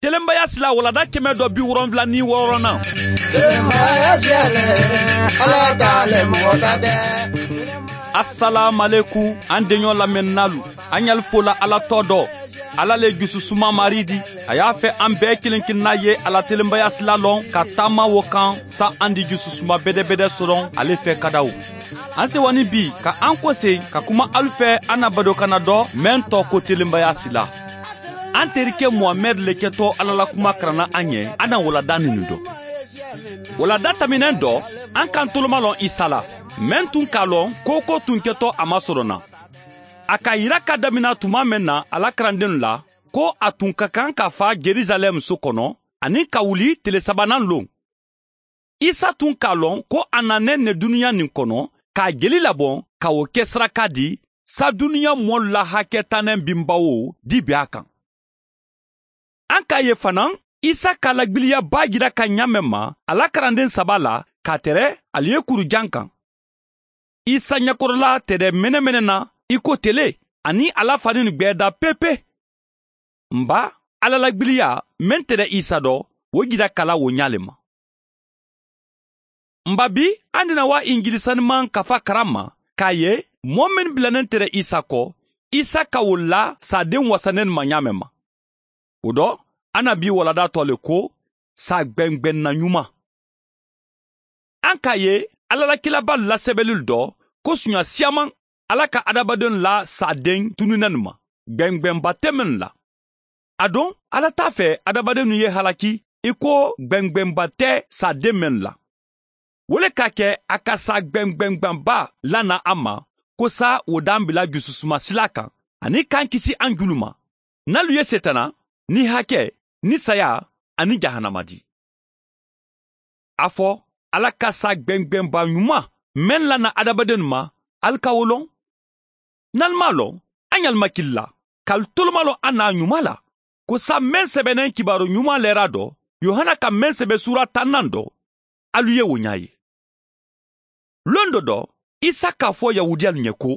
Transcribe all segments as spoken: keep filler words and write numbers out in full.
telenbaya sila walada kɛmɛ dɔ bi wolonwula ni wɔɔrɔnan. Telenbaya sila le, Ala ta le, mɔgɔ ta tɛ. Asalaamualeykum, an deɲɔ lamɛnninaalu, an ɲali fola Ala tɔgɔ dɔ. Ala le jususuma Mari di. A y'a fɛ an bɛɛ kelen kelenna ye a la telenbaya sila lɔn ka taama wo kan, sa an di jususuma bɛdɛbɛdɛ sɔrɔ ale fɛ kadaw. An sewa ni bi ka an kose ka kuma alu fɛ, an na badokanna dɔ mɛn tɔ ko telenbaya sila. An terikɛ Muhamɛdi le kɛtɔ Ala la kuma karanna an ye, an na walada ninnu dɔn. Walada tɛmɛnen dɔ, an kan toloma lɔn Isa la, mɛn tun k'a lɔn ko ko tun kɛtɔ a ma sɔrɔ na. A ka yira ka damina tuma mɛn na a la karandenw la, ko a tun ka kan ka fa Jerusalɛm so kɔnɔ, ani ka wuli tile sabanan lon. Isa tun k'a lɔn ko a nanen ne duniɲa nin kɔnɔ, k'a jeli labɔ, ka wo ke saraka di, sa duniɲa mɔɔlu la hakɛ tannen binbawo di be a kan. An k'a ye fanaŋ, Isa ka lagbiliyaba jira ka ɲaamen ma a la karanden saba la, k'a tere ali ye kuru jan kan. Isa ɲɛkɔrɔla tere menemene na i ko tele, ani a la faninu gbɛɛda pepe. N ba, Ala la gbiliya meŋ te de Isa do, wo jira kala wo ɲaa le ma. N ba, bi an dina wa injili sanimaŋ kafa karan ma, k'a ye moo mennu bilanen te de Isa ko, Isa ka wolu la saadeŋ wasaneenu ma ɲaameŋ ma. Wo do, a na bi walada to le ko, saa gbengbenna ɲuma. An ka ye, Ala la kilabaalu la sebelelu do, ko suɲa siyamaŋ, Ala ka adamadennu la saadeŋ tununnenu ma, gbengbenba te mennu la. Aduŋ, Ala t'a fe adamadennu ye halaki i ko gbengbenba te saadeŋ mennu la. Wo le ka ke a ka saa gbengbenba lana an ma, ko sa wo dambila jususuma sila kan, ani ka an kisi an julu ma, nalu ye setana, ni hake, ni saya, ani jahanama di. A fo, Ala ka saa gbengbenba ɲuma meŋ lana adamadennu ma, ali ka wo loŋ? Nali maŋ a loŋ? A ɲali ma kili la, kali tolomaloŋ a naa ɲuma la, ko saa meŋ sebeneŋ kibaaru ɲuma leera do, yohana ka meŋ sebe suura tannaŋ do, alu ye wo ɲaa ye. Londo do, Isa ka fo yahudiyalu ɲe ko,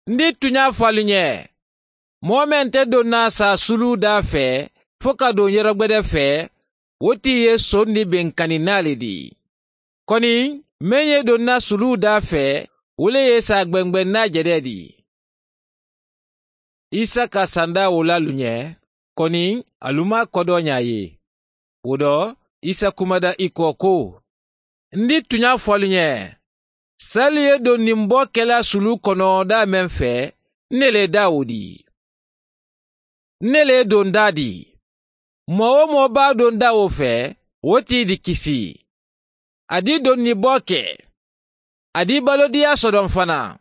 n di tuɲa fo alu ɲe, moo meŋ te donna saa suluu daa fee fo ka duŋ yorogbede fee, wo ti ye sondi beŋ kani naa le di. Koni meŋ ye donna suluu daa fee, wo le ye saa gbengbenna jedee di. Isa ka sandaa wo la alu ɲe, koni alu maŋ a kodoo ɲaa ye. Wo do, Isa kumada i ko ko, n di tuɲa fo alu ɲe, saalu ye doŋ niŋ boo kela suluu kono daa meŋ fee, n ne le ye daa wo di. N ne le ye doŋ daa di. Moo-wo-moo be a doŋ daa wo fee, wo ti di kisi. A di doŋ ni boo ke. A di balodiyaa sodoŋ fanaa.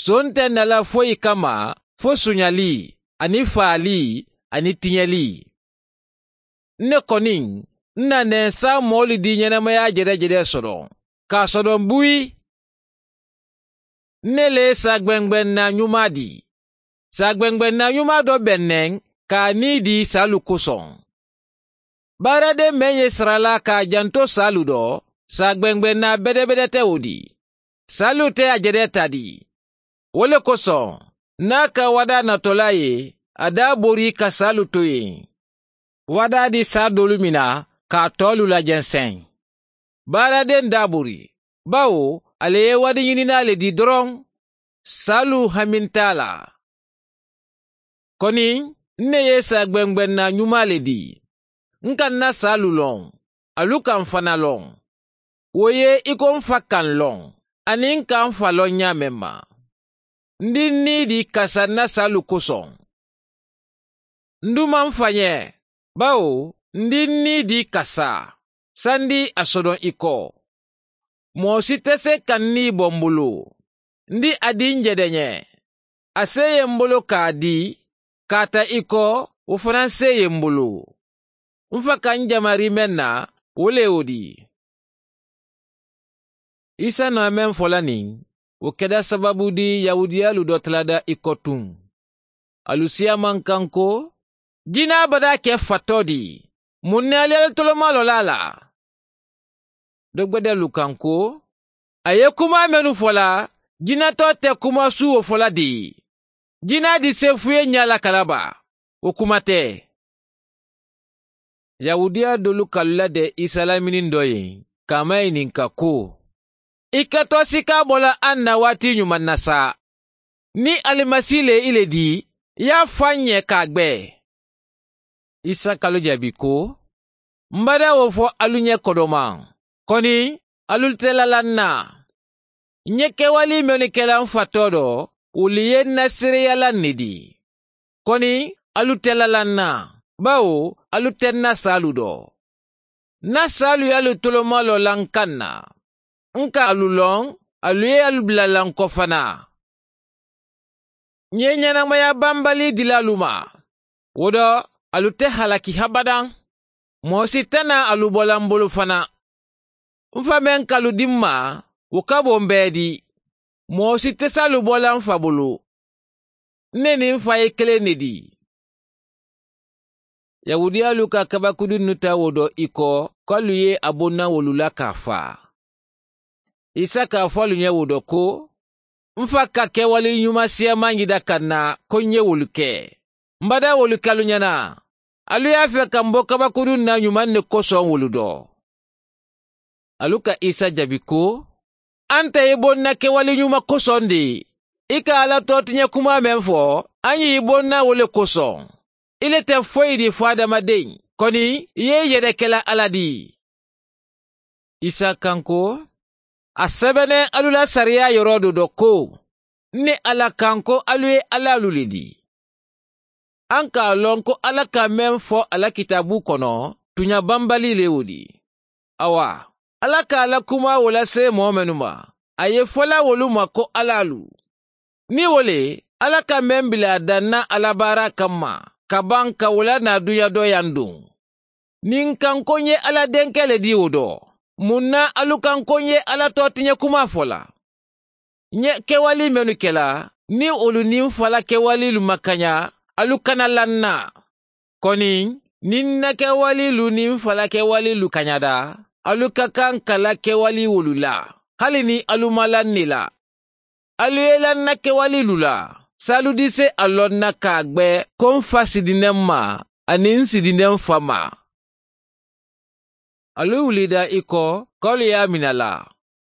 Soo nte na la foyi kamma fo suɲalii, aniŋ faalii, aniŋ tiɲelii. N ne koni, n na nee saa moolu di ɲenemayaa jedee-jedee sodoŋ, ka a sodoŋ buyi. N ne le ye saa gbengbenna ɲumaa di. Saa gbengbenna ɲumaa do be neŋ, ka a nii di saalu kosoŋ. Baaradeŋ meŋ ye saralaa ka a janto saalu do, saa gbengbenna bedebede te wo di. Saalu te a jedee taa di. Wo le kosoŋ, niŋ a ka wadaa natolaa ye, a daa bori ka saalu to yen. Wadaa di saa doolu mina, ka a toolu lajenseŋ. Baaradeŋ daa bori, bawo ali ye wadiɲininaa le di doroŋ. Saalu haminta a la. Koni, n ne ye saa gbengbenna ɲumaa le di. N ka n na saalu loŋ, alu ka n fana loŋ. Wo ye i ko n fa ka n loŋ, aniŋ n ka n fa loŋ ɲaameŋ ma. N di n nii di kasa n na saalu kosoŋ. N duma n fa ɲe, bawo n di n nii di kasa, sandi a sodoŋ i ko. Moo si te se ka n nii bo m bulu. N di a di n jede ɲe. A seeye m bulu ka a di, ka a ta i ko, wo fanaa seeye m bulu. N fa ka n jamari meŋ na, wo le ye wo di. Isa na meŋ fo la niŋ, wo keda sababu di yahudiyaalu do talada i ko tuŋ. Alu si a maŋ kaŋ ko, jinaa badaa ke fatoo di. Muŋ ne ali ye ali tolomaloo la a la? Dogbedeelu kaŋ ko, a ye kumaa mennu fo la, jinatoo te kumaa suuwo fo la di. Jinaa di seefuye ɲaa la kalaba, wo kuma te. Yahuudiya doolu ka alu la de isa la miniŋ doo ye ka a maŋ ì ninka ko, i ka too sikaa bo la aŋ na waati ñumaŋ na saa? Niŋ alimasi le i le dii, i ye a fo a ñe ka a gbe. Isa ka alu jaabi ko, m bada wo fo alu ñe kodomaŋ, koni alu te lalaŋ na. N ye kewali mennu ke la m fa too do, wolu ye n na seereya la n ne dii. Koni alu te lalaŋ na, bawo alu te n na saalu do. N na saalu ye alu tolomaloo la n kaŋ na. N ka alu loŋ, alu ye alu bula la n ko fanaa. N ye ñanamaya bambali dila alu ma. Wo do, alu te halaki habadaŋ. Moo si te naa alu bo la m bulu fanaa. M fa meŋ ka alu dii m ma, wo ka bo m bee dii. Moo si te si alu bo la m fa bulu. N ne niŋ m fa ye keleŋ ne dii. Yahuudiyaalu ka kabakudunnu taa wo do i ko, ko alu ye a bo n na wolu la ka a faa. Isa ka a fo alu ñe wo do ko, m fa ka kewali ñuma siyamaa ñida ka n na ko n ye wolu ke. M bada wolu ke alu ñana. Alu ye a fee ka m bo kabakudunnu na ñumaŋ ne kosoŋ wolu do. Alu ka isa jaabi ko, a nte i bo n na kewali ñuma kosoŋ de. I ka alla tootiña kumaa meŋ fo, a ye i bo n na wo le kosoŋ. I le te foyi di fo hadamadeŋ, koni i ye i yede ke la alla di. Isa kaŋ ko, a sebeneŋ alu la sariyaa yoroo do do ko, n ne alla kaŋ ko alu ye allaalu le di. A n ka a loŋ ko alla ka meŋ fo a la kitaaboo kono, tuuñaa bambali le wo di. Awa, alla ka a la kumaa wo lasee moo mennu ma, a ye fo la wolu ma ko allaalu. Niŋ wo le, alla ka meŋ bila a daŋ na a la baaraa kamma, ka baŋ ka wo la naa duña dooyaŋ duŋ. Niŋ n kaŋ ko n ye alla denkee le dii wo do, muŋ na alu kaŋ ko n ye alla tootiña kumaa fo la? N ye kewali mennu ke la, niŋ wolu niŋ n fa la kewaliilu ma kaña, alu kana la n na. Koni niŋ n na kewaliilu niŋ n fa la kewaliilu kañata, alu ka kaŋ ka la kewali wolu la, hali niŋ alu ma la n ne la. Alu ye la n na kewaliilu la, saalu dise a loŋ na ka a gbe ko m fa si dindi m ma, aniŋ n si dindi m fa ma. Alu wulida i ko, ko alu ye a mina la,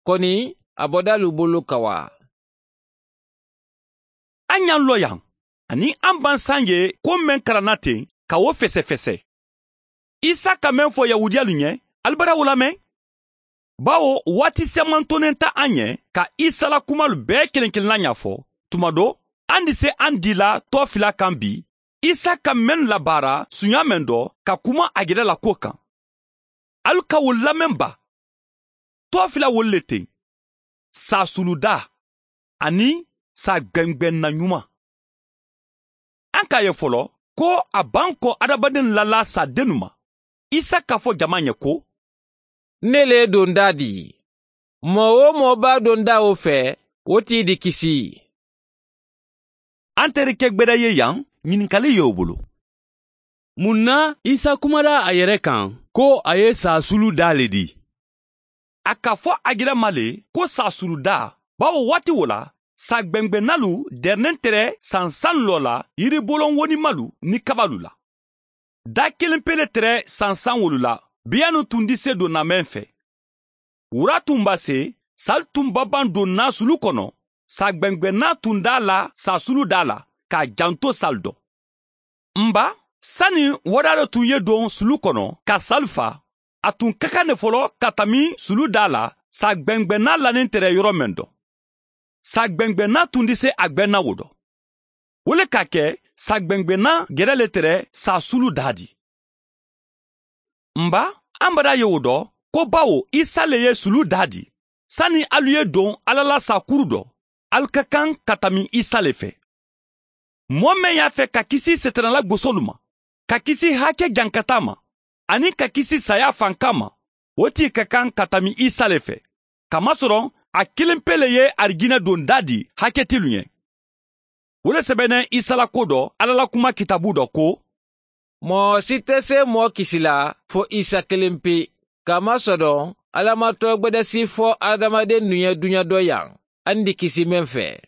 koni a boda alu bulu ka wa. A ñaŋ lo yaŋ, aniŋ a m̀ baŋ saŋ ye ko meŋ kara n na teŋ ka wo fesefese. Isa ka meŋ fo yahuudiyalu ñe, ali bada wo lameŋ? Bawo waati semantonenta a ñe ka isa la kumalu bee keleŋ keleŋ la ñaafo. Tuma do, a ndi se a ndi la toofila kaŋ bi, isa ka mennu labaara suñaa meŋ do ka kuma a jere la kuwo kaŋ. Alu ka wolu lameŋ ba? Toofila wolu le teŋ, saasuludaa aniŋ saagbeŋgbeŋ na ñuma. A ka a ye folo ko a baŋ ko hadamadennu la laa saa dennu ma. Isa ka fo jamaa ñe ko, n ne le ye dondaa dii. Moo-wo-moo be a dondaa wo fee, wo tii di kisi. Anterike gbeda ye yaŋ, ñininkaali ye wo bulu. Muŋ na isa kumada a yere kaŋ ko a ye saasuludaa le dii? A ka fo a jira ma le ko saasuludaa, bawo waati wo la saagbeŋgbeŋnaalu dereneŋ tere sansaŋ loo la yiriboloŋ wonimalu niŋ kabalu la. Daa kiliŋ pee le tere sansaŋ wolu la. Biyaanu tundi se donna meŋ fee, wuraatuŋ baa se sali tuŋ babaŋ donna sulu kono. Saagbeŋgbeŋnaa tuŋ daa la saasuludaa la ka a janto sali do. M ba, sani wadaa le tuŋ ye doŋ sulu kono ka sali faa, a tuŋ ka kaŋ ne folo ka tanbi suludaa la. Saagbeŋgbeŋnaa laniŋ tere yoro meŋ do, saagbeŋgbeŋnaa tundi se a gbeŋ na wo do. Wo le ka a ke saagbeŋgbeŋnaa gere le tere saasuludaa di. M ba, a m̀ bada ye wo do ko bawo isa le ye suludaa di, sani alu ye doŋ alla la saakuru do, alu ka kaŋ ka tanbi isa le fee. Moo meŋ ye a fee ka kisi seetanalagosolu ma, ka kisi hake jankataa ma, aniŋ ka kisi saayaa fankaa ma, wo ti ka kaŋ ka tanbi isa le fee. Kamasoroŋ a kiliŋ pee le ye arijinna dondaa di haketilu ñe. Wo le sebeneŋ isa la ko do alla la kumaa kitaabuu do ko, moo si te see moo kisi la fo isa kiliŋ pee. Kamasoroŋ alla ma toogbedasi fo hadamadennu ye duña dooyaŋ, a ndi kisi meŋ fee.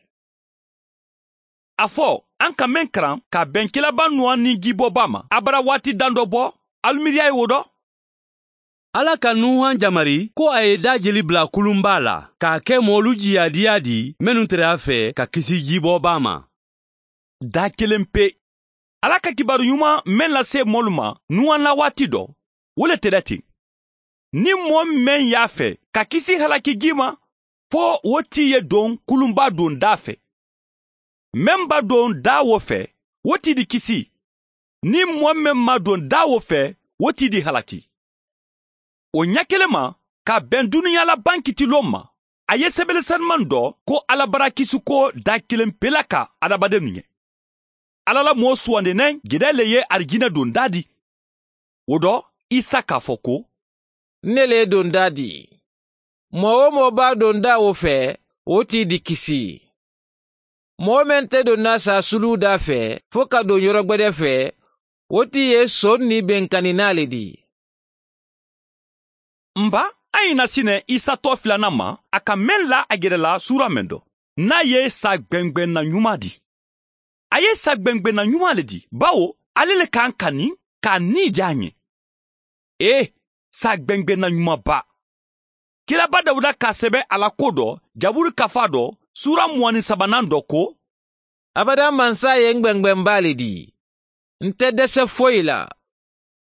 A fo, a ka meŋ karaŋ ka a beŋ kilaabaa nuwaa niŋ jiiboobaa ma abada waati daŋ do bo. alu miiriyaa ye wo do. Alla ka nuuhan jamari ko a ye daajeli bula kulunbaa la ka a ke moolu jiyaadiyaa di mennu tere a fee ka kisi jiiboo baa ma. Daa keleŋ pe. Alla ka kibaaru ɲuman meŋ lase moolu ma nuuhan la waati do, wo le tera teŋ. Niŋ moo meŋ ye a fee ka kisi halaki jii ma, fo wo tii ye doŋ kulunbaa doŋ daa fee. Meŋ ba doŋ daa wo fee, wo tii di kisi. Niŋ moo meŋ maŋ doŋ daa wo fee, wo tii di halaki. Wo ɲa keleŋ ma, ka a beŋ duniyaa la baŋ kitiloo ma, a ye sebele senimaŋ do ko alla barakisiko daa keleŋ pe la ka hadamadennu ɲe. Alla la moo suwandi naŋ geda le ye arijina doŋ daa di. Wo do, isa ka a fo ko, n ne le ye doŋ daa di. Moo-wo-moo be a doŋ daa wo fee, wo tii di kisi. Moo meŋ te doŋ na saasuluu daa fee fo ka doŋ yorogbede fee, wo tii ye soŋ niŋ benkaninaa le di. N ba, a ye i na sine isa too filanaŋ ma, a ka meŋ la a gere la suura meŋ do, niŋ a ye saa gbengbenna ɲumaa di. A ye saa gbengbenna ɲumaa le di, bawo ale le ka a kani ka a nii di a ɲe. Ee, saa gbengbenna ɲumaa baa. Kiilaba dawuda ka a sebe a la ko do, jaburu kafaa do, suura muwaani sabanaŋ do ko, abada mansa ye n gbengben baa le di. N te dese foyi la.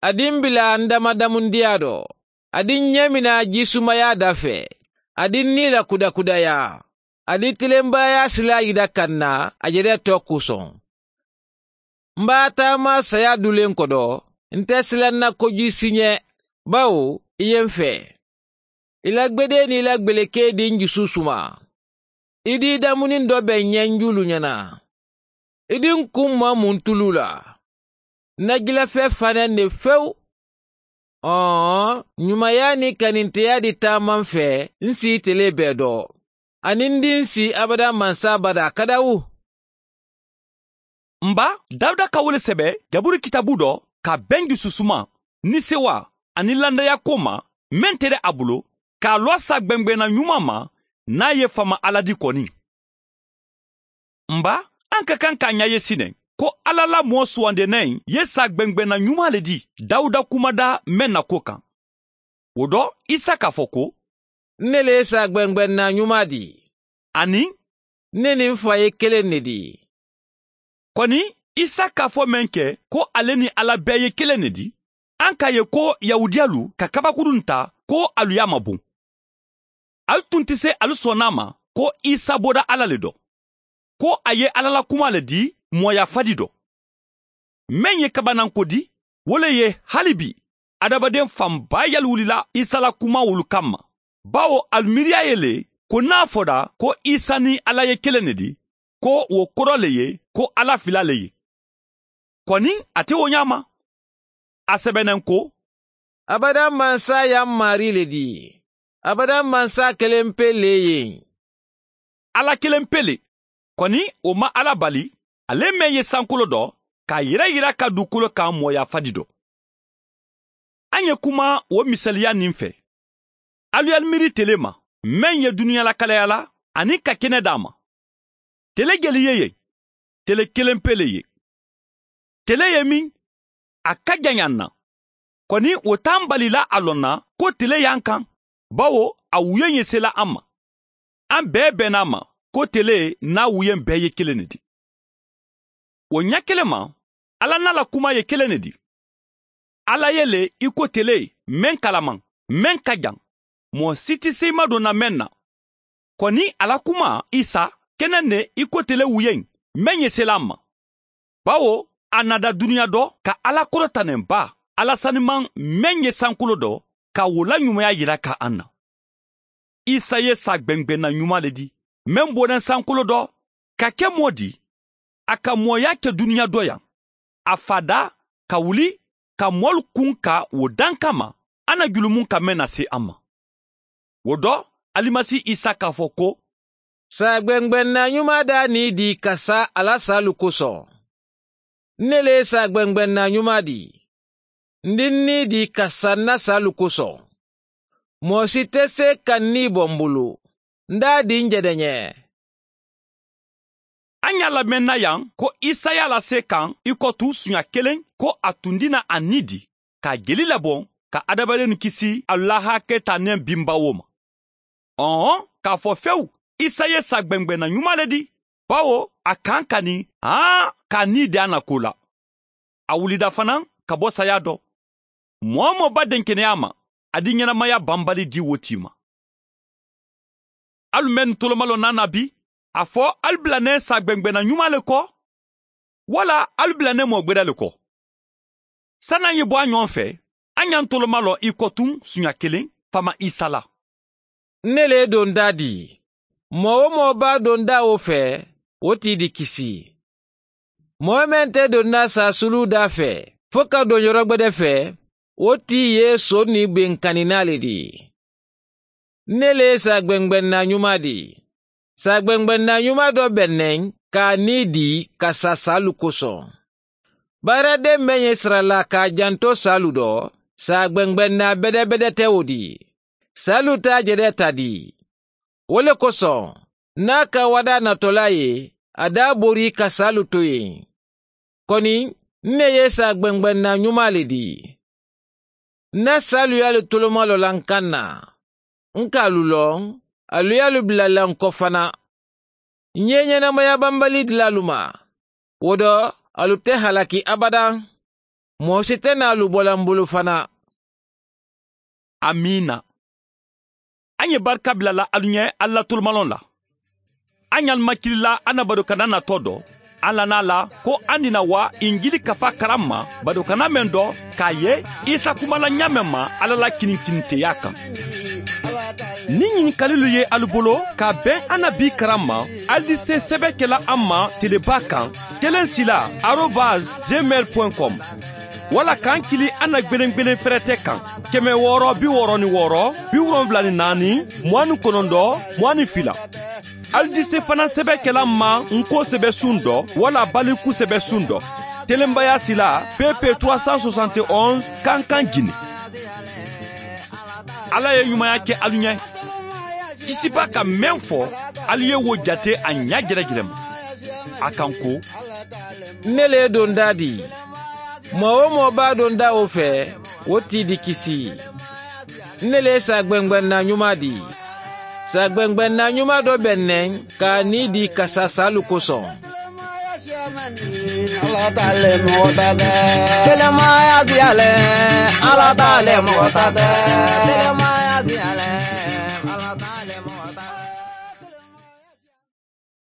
A di n bila n damadamundiyaa do. A di n ɲemina jisumaya da fee. A di n nii la kudakudayaa. A di tilembaaya silaa yida ka n na a jede too kusoŋ. M be a taama saya duleŋ kodo. N te silaŋ na kojii si ɲe, bawo i ye n fee. I la gbedee niŋ i la gbelekee di n jusu suma. I di i damuniŋ do be n ɲenjuulu ɲana. I di n kuŋ maŋ muntuluu la. N na jilafee fanaa ne fewu. Ɔɔ, ɲumaya niŋ kaninteya di taama n fee n si ite le bee do. Aniŋ n di n si abada mansa badaa kadawu. N ba, dawuda ka wo le sebe jaburu kitaabu do ka a beŋ jususumaŋ, niseewaa, aniŋ lannaya ko ma meŋ tere a bulu, ka a loo a saa gbengbenna ɲumaa ma, niŋ a ye faama alla di koni. N ba, a ka kaŋ ka a ɲa ye sine ko alla la moo suwandeena in ye saa gbengbenna ɲumaa le di dawuda kumadaa meŋ na ko kaŋ. Wo do, isa ka a fo ko, n ne le ye saa gbengbenna ɲumaa di. Aniŋ, n ne niŋ n fa ye keleŋ ne di. Koni, isa ka a fo meŋ ke ko ale niŋ alla bee ye keleŋ ne di, a ka a ye ko yahudiyalu ka kabakurunnu taa ko alu ye a maboŋ. Alu tun ti se alu sonna a ma ko isa bota alla le do, ko a ye alla la kumaa le di mooyaa fadi do. Meŋ ye kabananko di, wo le ye hali bii adamaden fan baa yaluwulila isa la kumaawolu kamma. Bawo alu miiriyaa ye le ko niŋ a fota ko isa niŋ alla ye keleŋ ne di, ko wo koro le ye ko alla filaa le ye. Koni, a te wo ɲaama. A sebeneŋ ko, abada mansa ye a maarii le di. Abada mansa keleŋ pe le ye. Alla keleŋ pe le. Koni, wo maŋ alla bali, ale meŋ ye sankoloo do ka a yereyira ka dukolo kaŋ mooyaa fadi do. A ŋe kuma wo misaliya niŋ fe. Alu ye alu miiri tele ma, meŋ ye duniya lakalayaa la aniŋ ka kene daa ma. Tele jeli ye yen? Tele keleŋ pe le ye. Tele ye miŋ, a ka jaŋ ye a na. Koni wo te a mbali la a loŋ na ko tele ye a kaŋ, bawo a wuyeŋ ye sela a ma. A bee bena a ma ko tele niŋ a wuyeŋ bee ye keleŋ ne di. Wo ɲa keleŋ ma, alla niŋ a la kumaa ye keleŋ ne di. Alla ye le i ko tele meŋ kalamaŋ, meŋ ka jaŋ, moo si ti seyimadonna meŋ na. Koni a la kumaa isa ke naŋ ne i ko tele wuyeŋ meŋ ye sela a ma. Bawo a nada duniya do ka alla korotaneŋ baa, alla sanimaŋ meŋ ye sankoloo do, ka wo la ɲumaya yira ka a na. Isa ye saa gbengbenna ɲumaa le di, meŋ boneŋ sankoloo do ka ke moo di. A ka mooyaa ke duniya do yaŋ. A faadaa ka wuli ka moolu kuŋ ka wo daŋ kamma, a na julumu ka meŋ na si a ma. Wo do, alimasi isa ka a fo ko, saa gbengbenna ɲumaa daa nii di ka sa a la saalu kosoŋ. N ne le ye saa gbengbenna ɲumaa di. N di n nii di ka sa n na saalu kosoŋ. Moo si te see ka n nii bo m bulu. N daa di n jedeɲee. A ŋa a lamenna yaŋ ko isa ye a la see kaŋ i ko tu suɲa keleŋ ko a tundi na a nii di. ka a jeli labon ka adamadenw kisi alu la harakee taa neŋ binbawoo ma. Ɔn-ɔn, k'a fo fewu, isa ye saa gbeŋgbeŋ na ɲumaa le di, bawo a kaŋ ka ni haa ka a nii de a na koo la. A wulida fanaŋ ka bo sayaa do. Moo-wo-moo ba denkeneyaa ma, a di ɲenamaya banbali di wo tii ma. Alu mennu tolomalon na a na bi, a fo alu bila ne saa gbeŋgbeŋ na ɲumaa le ko? Walla alu bila ne moo gbeda le ko? Sani a ye bo a ɲoŋo fe, a ɲa n tolomalon i ko tun suɲa kelen faama isa la. N ne le ye dondaa dii. Moo-wo-moo baa dondaa wo fe, wo tii di kisi. Moo meŋ te dondaa saasuluu daa fe fo ka doŋ yorogbede fe, wo tii ye soo ni benkaninaa le dii. N ne le ye saa gbeŋgbeŋ naa ɲumaa dii. Saa gbeŋgbeŋ naa ɲumaa do be neŋ ka a nii dii ka saa saalu kosoŋ. Baaradenw meŋ ye sara la ka a janto saalu do, saa gbeŋgbeŋ naa bedebede te wo dii. Saalu te a jedee ta dii. Wo le kosoŋ, niŋ a ka wadaa natolaa ye, a daa bori ka saalu to yen. Koni n ne ye saa gbeŋgbeŋ naa ɲumaa le dii. N na saaluyaalu tolomalon la n kaŋ na. N ka alu loŋ, alu ye alu bila la n ko fana. N ye ɲenamaya banbali dila alu ma. Wo do, alu te halaki abadaŋ. Moo si te naa alu bo la n bulu fana. Amiina. A ɲe barika bila la alu ɲe alla tolomalon la. A ɲa alu makili la a na badokana natoo do, a lana a la ko a ni na waa injili kafa karan ma badokana meŋ do, ka a ye isa kuma la ɲaameŋ ma alla la kininkininteyaa kaŋ. Niŋ ɲinikalilu ye alu bolo ka a beŋ a na bii karan ma, alu di se sebe ke la a ma telebaa kaŋ, kelen sila arobas gmail point com. Walla ka n kili a na gbelengbelen ferete kaŋ, keme wooro bi wooro ni wooro bi wolonwula ni naani muwaŋ ni konondoo muwaŋ ni fila. Alu di se fanaŋ sebe ke la n ma n ko sebe suŋ do walla baliku sebe suŋ do. Telenbaya sila pepe trois cent soixante et onze kankan gine. Alla ye ɲumaya ke alu ɲe. Kisiba ka meŋ fo, alu ye wo jate a ɲa jerejere ma. A ka n ko, n ne le ye dondaa dii. Moo-wo-moo baa dondaa wo fe, wo tii di kisi. N ne le ye saa gbeŋgbeŋ naa ɲumaa dii. Saa gbeŋgbeŋ naa ɲumaa do be neŋ ka a nii dii ka saa saalu kosoŋ. Telemaaya siya le, alla taa le moxo ta de.